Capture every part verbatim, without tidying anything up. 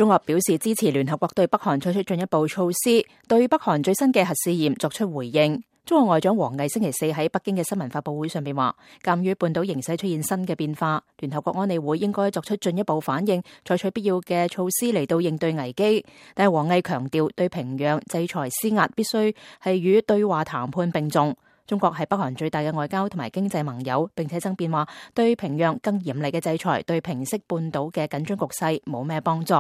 中國表示支持聯合國對北韓採取進一步措施，對北韓最新嘅核試驗作出回應。中國外長王毅星期四喺北京嘅新聞發佈會上邊話，鑒於半島形勢出現新嘅變化，聯合國安理會應該作出進一步反應，採取必要嘅措施嚟到應對危機。但係王毅強調，對平壤制裁施壓必須係與對話談判並重。中國係北韓最大嘅外交同埋經濟盟友，並且爭辯話對平壤更嚴厲嘅制裁對平息半島嘅緊張局勢冇咩幫助。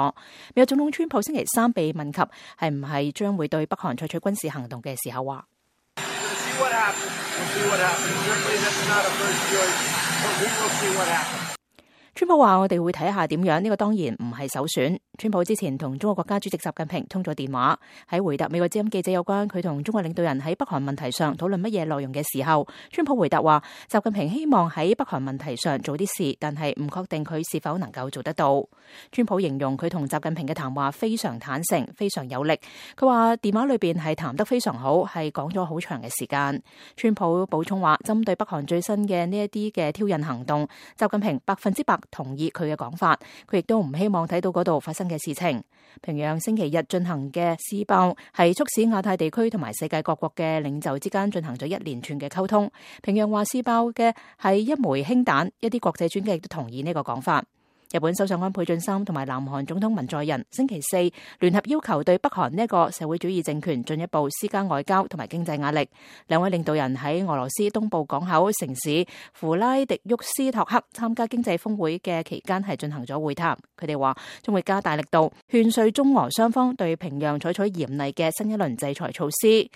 美國總統川普星期三被問及係唔係將會對北韓採取軍事行動嘅時候話，川普話我哋會睇下點樣，呢個當然唔係首選。川普之前同中國國家主席習近平通咗電話，喺回答美國之音記者有關佢同中國領導人喺北韓問題上討論乜嘢內容嘅時候，川普回答話習近平希望喺北韓問題上做啲事，但係唔確定佢是否能夠做得到。川普形容佢同習近平嘅談話非常坦誠，非常有力。佢話電話裏邊係談得非常好，係講咗好長嘅時間。川普補充話，針對北韓最新嘅呢一啲嘅挑釁行動，習近平百分之百同意佢嘅講法，佢亦都唔希望睇到嗰度發生嘅事情。平壤星期日進行嘅試爆係促使亞太地區同埋世界各國嘅領袖之間進行咗一連串嘅溝通。平壤話試爆嘅係一枚氫彈，一啲國際專家亦都同意呢個講法。日本首相安倍晉三同埋南韓總統文在寅星期四聯合要求對北韓呢一個社會主義政權進一步施加外交同埋經濟壓力。兩位領導人喺俄羅斯東部港口城市弗拉迪沃斯托克參加經濟峰會嘅期間係進行咗會談。佢哋話將會加大力度勸說中俄雙方對平壤採取嚴厲嘅新一輪制裁措施。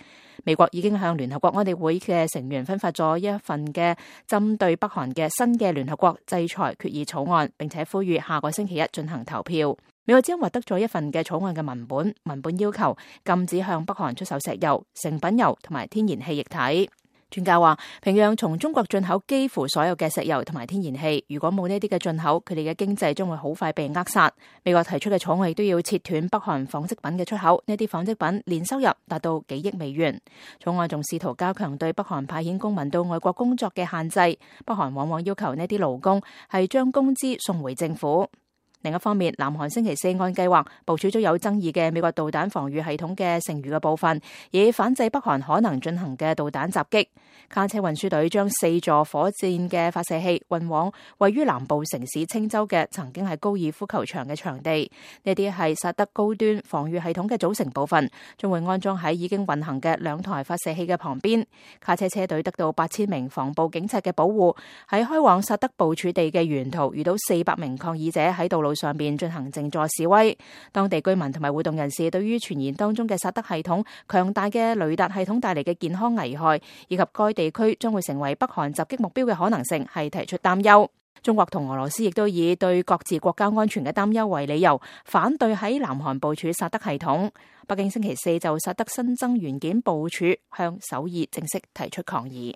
美國已經向聯合國安理會嘅成員分發咗一份嘅針對北韓嘅新嘅聯合國制裁決議草案，並且呼籲下個星期一進行投票。美國之音獲得咗一份嘅草案嘅文本，文本要求禁止向北韓出售石油、成品油同埋天然氣液體。專家話，平壤從中國進口幾乎所有嘅石油同埋天然氣，如果冇呢啲嘅進口，佢哋嘅經濟將會好快被扼殺。美國提出嘅草案亦都要切斷北韓紡織品嘅出口，呢啲紡織品年收入達到幾億美元。草案仲試圖加強對北韓派遣公民到外國工作嘅限制，北韓往往要求呢啲勞工係將工資送回政府。另一方面，南韓星期四按計劃部署咗有爭議嘅美國導彈防禦系統嘅剩餘嘅部分，以反制北韓可能進行嘅導彈襲擊。卡車運輸隊將四座火箭嘅發射器運往位於南部城市青州嘅曾經係高爾夫球場嘅場地。呢啲係薩德高端防禦系統嘅組成部分，將會安裝喺已經運行嘅兩台發射器嘅旁邊。卡車車隊得到八千名防暴警察嘅保護，喺開往薩德部署地嘅沿途遇到四百名抗議者喺道路上邊進行靜坐示威。當地居民同埋活動人士對於傳言當中嘅薩德系統強大嘅雷達系統帶嚟嘅健康危害，以及該地區將會成為北韓襲擊目標嘅可能性，係提出擔憂。中國同俄羅斯亦都以對各自國家安全嘅擔憂為理由，反對喺南韓部署薩德系統。北京星期四就薩德新增元件部署向首爾正式提出抗議。